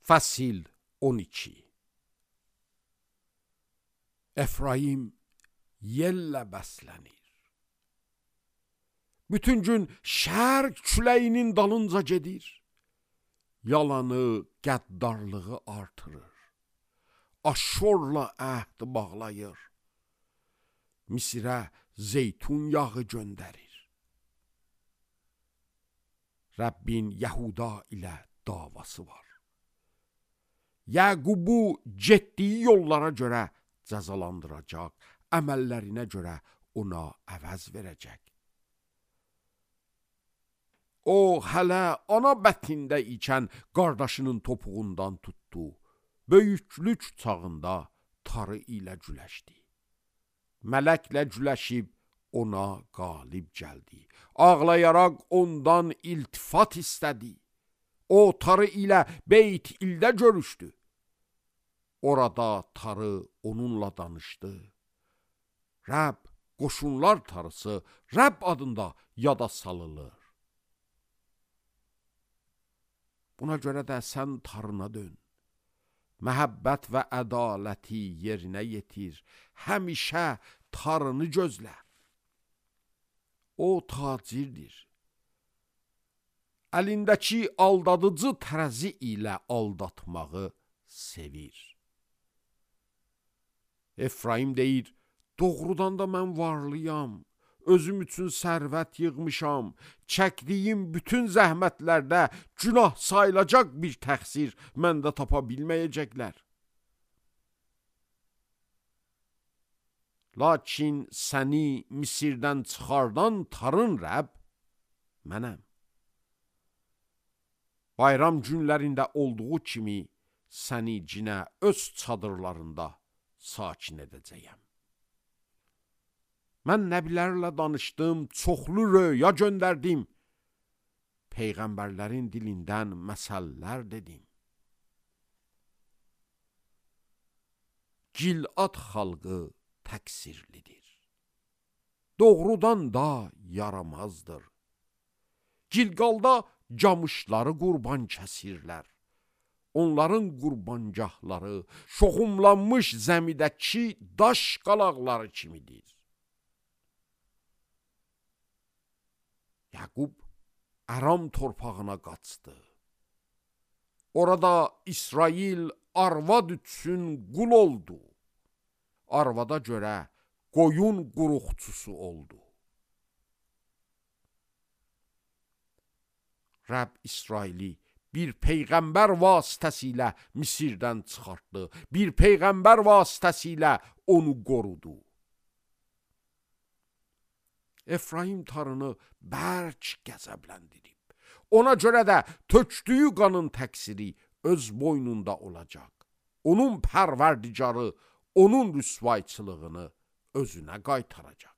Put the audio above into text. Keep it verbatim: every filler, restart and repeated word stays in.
Fəsil on iki. Efraim yellə bəslənir. Bütün gün şərq küləyinin dalınca gedir. Yalanı, qəddarlığı artırır. Aşşorla əhd bağlayır. Misirə zeytun yağı göndərir. Rəbbin Yəhuda ilə davası var. Yəqubu getdiyi yollara görə cəzalandıracaq, əməllərinə görə ona əvəz verəcək. O, hələ ana bətində ikən qardaşının topuğundan tutdu. Böyüklük çağında tarı ilə güləşdi. Mələklə güləşib ona qalib gəldi. Ağlayaraq ondan iltifat istədi. O, tarı ilə Beyt ildə görüşdü. Orada tarı onunla danışdı. Rəbb, qoşunlar tarısı Rəbb adında yada salınır. Buna görə də sən tarına dön. Məhəbbət və ədaləti yerinə yetir. Həmişə tarını gözlə. O tacirdir. Əlindəki aldadıcı tərəzi ilə aldatmağı sevir. Efraim deyir, doğrudan da mən varlıyam, özüm üçün sərvət yığmışam, çəkdiyim bütün zəhmətlərdə günah sayılacaq bir təqsir məndə tapa bilməyəcəklər. Lakin səni Misirdən çıxardan tarın Rəbb mənəm. Bayram günlərində olduğu kimi səni cinə öz çadırlarında sakin edəcəyəm. Mən nəbilərlə danışdım, çoxlu röya göndərdim. Peyğəmbərlərin dilindən məsəllər dedim. Gilad xalqı təqsirlidir. Doğrudan da yaramazdır. Gilqalda camışları qurban kəsirlər. Onların qurbangahları şoxumlanmış zəmidəki daş qalaqları kimidir. Yaqub Əram torpağına qaçdı. Orada İsrail arvad üçün qul oldu. Arvada görə qoyun quruqçusu oldu. Rəbb İsraili bir peyğəmbər vasitəsilə Misirdən çıxartdı. Bir peyğəmbər vasitəsilə onu qorudu. Efraim tarını bərk qəzəbləndirib. Ona görə də tökdüyü qanın təqsiri öz boynunda olacaq. Onun pərverdigarı onun rüsvayçılığını özünə qaytaracaq.